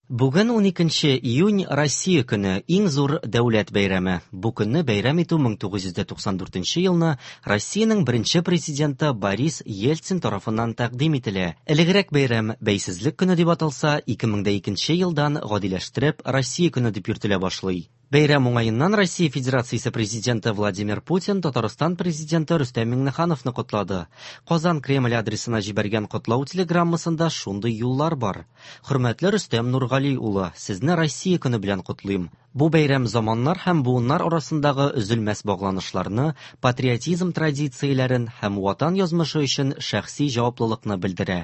Бүген 12 июнь Россия көне, иң зур дәүләт бәйрәме. Бу көнне бәйрәм итү 1994 елны Россиянең беренче президенты Борис Ельцин тарафыннан тәкъдим ителә. Элегрәк бәйрәм Бәйсезлек көне дип аталса, 2002 елдан гадиләштереп Россия көне дип йөртелә башлый. Бәйрәм уңаеннан Россия Федерациясе Президенты Владимир Путин Татарстан Президенты Рөстәм Миңнехановны котлады. Казан Кремль адресына җибәргән котлау телеграммасында шундый юллар бар. Хөрмәтле Рөстәм Нургали улы, сезне Россия көне белән котлыйм. Бу бәйрәм заманнар һәм буыннар арасындагы өзелмәс багланышларны, патриотизм традицияләрен һәм Ватан язмышы өчен шәхси җаваплылыкны белдерә.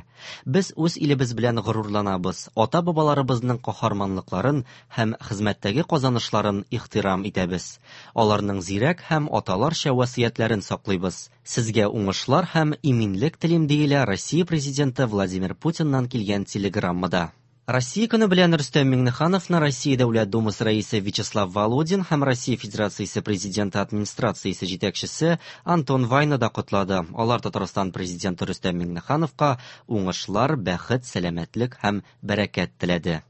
Без үз илебез белән горурланабыз, ата-бабаларыбызның каһарманлыкларын һәм хезмәттәге казанышларын ихтирам итәбез. Аларның зирәк һәм аталарча васыятьләрен саклыйбыз. Сезгә уңышлар һәм иминлек телим, диелә Россия Президенты Владимир Путиннан килгән телеграммада. Россия көне белән Рөстәм Миңнехановны Россия Дәүләт Думасы рәисе Вячеслав Володин һәм Россия Федерациясе Президенты администрациясе җитәкчесе Антон Вайна да котлады. Алар Татарстан Президенты Рөстәм Миңнехановка уңышлар, бәхет, сәламәтлек һәм бәрәкәт теләде.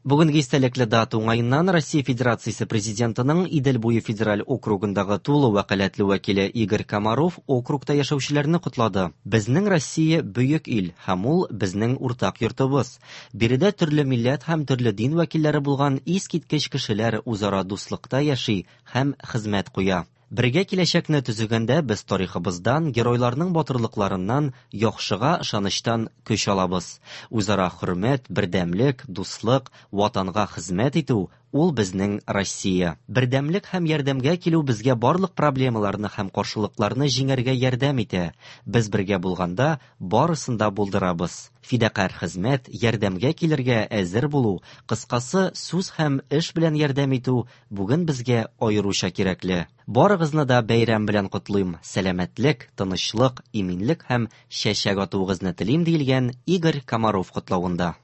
Бүгенге истәлекле дата уңаеннан Россия Федерациясе Президентының Идел буе федераль округындагы тулы вәкаләтле вәкиле Игорь Комаров округта яшәүчеләрне котлады. Безнең Россия бөек ил һәм ул безнең уртак йортыбыз. Биредә төрле милләт һәм төрле дин вәкилләре булган искиткеч кешеләр үзара дуслыкта яши һәм хезмәт куя. Бергә киләчәкне төзегәндә без тарихыбыздан, геройларның батырлыкларыннан, яхшыга ышанычтан көч алабыз. Үзара хөрмәт, бердәмлек, дуслык, Ватанга хезмәт итү ул безнең Россия. Бердәмлек һәм ярдәмгә килү безгә барлык проблемаларны һәм каршылыкларны җиңәргә ярдәм итә. Без бергә булганда барысын да булдырабыз. Фидакарь хезмәт, ярдәмгә килергә әзер булу, кыскасы, сүз һәм эш белән ярдәм итү бүген безгә аеруча кирәкле. Барыгызны да бәйрәм белән котлыйм. Сәламәтлек, тынычлык, иминлек һәм чәчәк атуыгызны телим, диелгән Игорь Комаров котлавында.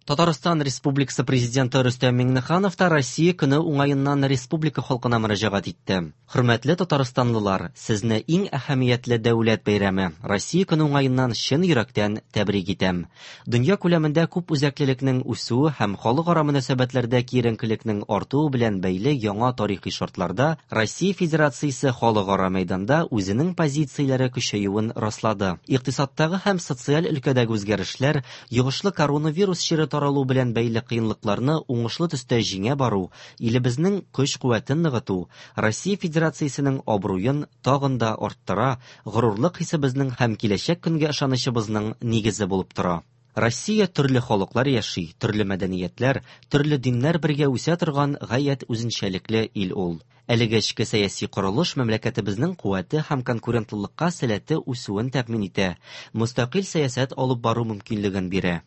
Татарстан Республикасы Президенты Рөстәм Миңнеханов та Россия көне уңаеннан республика халкына мөрәҗәгать итте. Хөрмәтле татарстанлылар, сезне иң әһәмиятле дәүләт бәйрәме, Россия көне уңаеннан чын йөрәктән тәбрик итәм. Дөнья күләмендә күп үзәклелекнең үсүе һәм халыкара мөнәсәбәтләрдә киеренкелекнең артуы белән бәйле яңа тарихи шартларда Россия Федерациясе халыкара мәйданда үзенең позицияләре көчәюен раслады. Икътисадтагы һәм социаль өлкәдәге үзгәрешләр, йогышлы коронавирус чире таралу белән бәйле кыенлыкларны уңышлы төстә җиңә бару, илебезнең көч-куәтен ныгыту, Россия Федерациясенең абруен тагын да арттыра, горурлык хисебезнең һәм киләчәк көнгә ышанычыбызның нигезе булып тора. Россия төрле халыклар яши, төрле мәдәниятләр, төрле диннәр бергә үсә торган гаять үзенчәлекле ил ул. Әлеге эчке сәяси корылыш мәмләкәтебезнең куәте һәм конкурентлылыкка сәләте үсүен тәэмин итә, мөстәкыйль сәясәт алып бару мөмкинлеген бирә.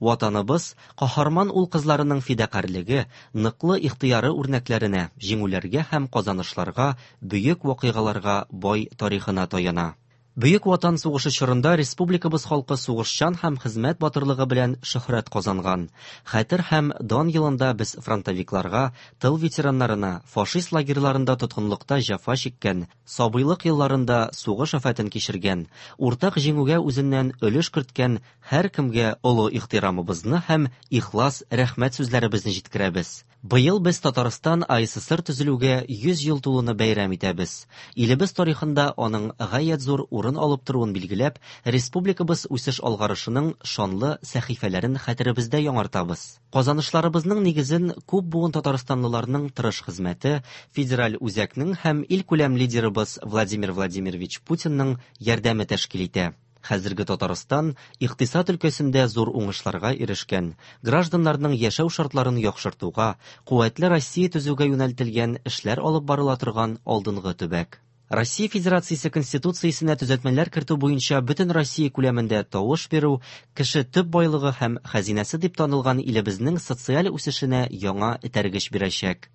Ватаныбыз каһарман ул-кызларының фидакарьлеге, ныклы ихтыяры үрнәкләренә, җиңүләргә һәм казанышларга, бөек вакыйгаларга бай тарихына таяна. Бөек Ватан сугышы чорында республикабыз халкы сугышчан һәм хезмәт батырлыгы белән шөһрәт казанган. Хәтер һәм дан елында без фронтовикларга, тыл ветераннарына, фашист лагерьларында тоткынлыкта җәфа чиккән, сабыйлык елларында сугыш афәтен кичергән, уртак җиңүгә үзеннән өлеш керткән Һәркемгә олы ихтирамыбызны һәм ихлас рәхмәт сүзләребезне җиткерәбез. Быел без Татарстан АССР төзелүгә 100 ел тулуны бәйрәм итәбез. Илебез тарихында аның гаять зур урын алып торуын билгеләп, республикабыз үсеш-алгарышының шанлы сәхифәләрен хәтеребездә яңартабыз. Казанышларыбызның нигезен күп буын татарстанлыларның тырыш хезмәте, федераль үзәкнең һәм илкүләм лидерыбыз Владимир Владимирович Путинның ярдәме тәшкил итә. Хәзерге Татарстан икътисад өлкәсендә зур уңышларга ирешкән, гражданнарның яшәү шартларын яхшыртуга, куәтле Россия төзүгә юнәлтелгән эшләр алып барыла торган алдынгы төбәк. Россия Федерациясе Конституциясенә төзәтмәләр кертү буенча бөтен Россия күләмендә тавыш бирү кеше төп байлыгы һәм хәзинәсе дип танылган илебезнең социаль үсешенә яңа этәргеч бирәчәк.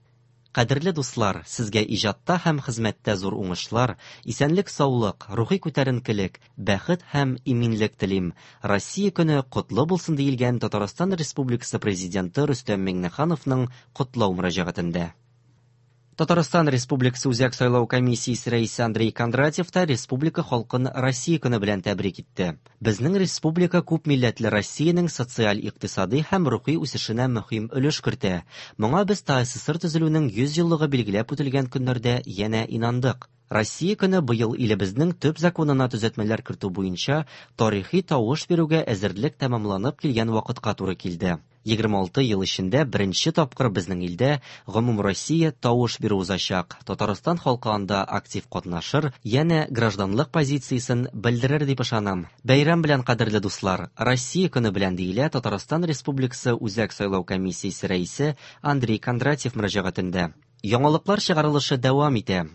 Кадерле дуслар, сезгә иҗатта һәм хезмәттә зур уңышлар, исәнлек-саулык, рухи күтәренкелек, бәхет һәм иминлек телим. Россия көне котлы булсын, диелгән Татарстан Республикасы Президенты Рөстәм Миңнехановның котлау мөрәҗәгатендә. Татарстан Республикасы Үзәк сайлау комиссиясе рәисе Андрей Кондратьев та республика халкын Россия көне белән тәбрик итте. Безнең республика күп милләтле Россиянең социаль-икътисади һәм рухи үсешенә мөһим өлеш кертә. Моңа без ТАССР төзелүнең 100 еллыгы билгеләп үтелгән көннәрдә янә инандык. Россия көне быел илебезнең төп законына төзәтмәләр кертү буенча тарихи тавыш бирүгә әзерлек тәмамланып килгән вакытка туры килде. 26 ел эчендә беренче тапкыр безнең илдә гомумроссия тавыш бирү узачак. Татарстан халкы анда актив катнашыр, янә гражданлык позициясен белдерер дип ышанам. Бәйрәм белән, кадерле дуслар! Россия көне белән, диелә Татарстан Республикасы Үзәк сайлау комиссиясе рәисе Андрей Кондратьев мөрәҗәгатендә. Яңалыклар чыгарылышы дәвам итә.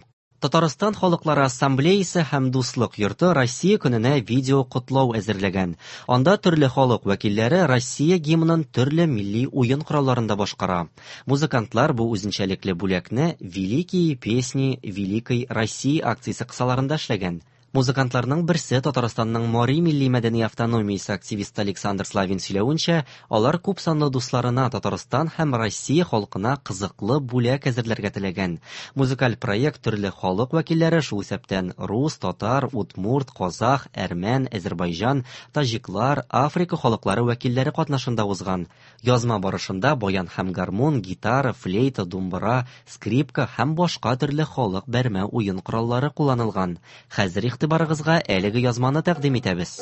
Татарстан халыклары ассамблеясы һәм Дуслык йорты Россия көненә видео котлау әзерләгән. Анда төрле халык вәкилләре Россия гимнын төрле милли уен коралларында башкара. Музыкантлар бу үзенчәлекле бүләкне Великие песни Великой России акциясе кысаларында эшләгән. Музыкантларның берсе Татарстанның Мари милли-мәдәни автономиясе активисты Александр Славин сөйләвенчә, алар күпсанлы дусларына Татарстан һәм Россия халкына кызыклы бүләк әзерләргә теләгән. Музыкаль проект төрле халык вәкилләре, шул исәптән рус, татар, удмурт, казах, әрмән, әзербайҗан, таҗиклар, Африка халыклары вәкилләре катнашында узган. Язма барышында баян һәм гармун, гитара, флейта, думбыра, скрипка һәм башка төрле халык бәрмә уен кораллары кулланылган. Хәзер игътибарыгызга әлеге язманы тәкъдим итәбез.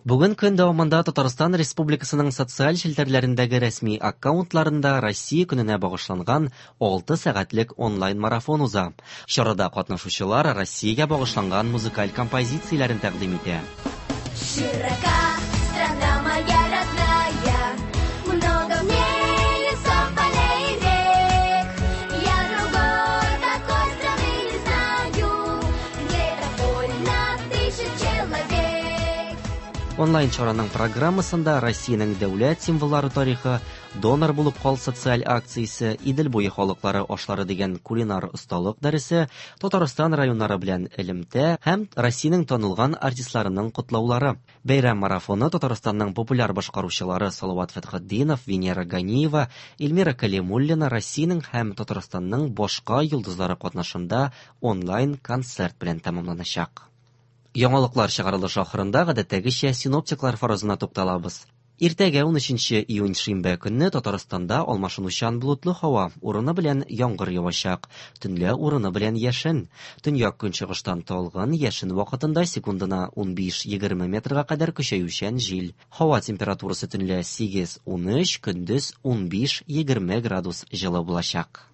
Бүген көн дәвамында Татарстан Республикасының социаль челтәрләрендәге рәсми аккаунтларында Россия көненә багышланган 6 сәгатьлек онлайн-марафон уза. Чарада катнашучылар Россиягә багышланган музыкаль композицияләрен тәкъдим итә. Широка страна моя родная, много в ней лесов, полей и рек. Я другой такой страны не знаю, где так вольно дышит человек. Онлайн чараның программасында Россиянең дәүләт символлары тарихы, донор булып кал социаль акциясе, Идел буе халыклары ашлары дигән кулинар осталык дәресе, Татарстан районнары белән элемтә һәм Россиянең танылган артистларының котлаулары. Бәйрәм марафоны Татарстанның популяр башкаручылары Салават Фәтхетдинов, Венера Ганиева, Эльмира Калимуллина Россиянең һәм Татарстанның башка йолдызлары катнашында онлайн концерт белән тәмамланачак. Яңалыклар чыгарылышы ахырында гадәттәгечә синоптиклар фаразына тукталабыз. Иртәгә 13 июнь шимбә көнне Татарстанда алмашынучан болытлы һава, урыны белән яңгыр явачак, төнлә урыны белән яшен. Төньяк көнчыгыштан талгын, яшен вакытында секундына 15-20 метрга кадәр көчәючән җил. Һава температурасы төнлә 8-13, көндез 15-20 градус җылы булачак.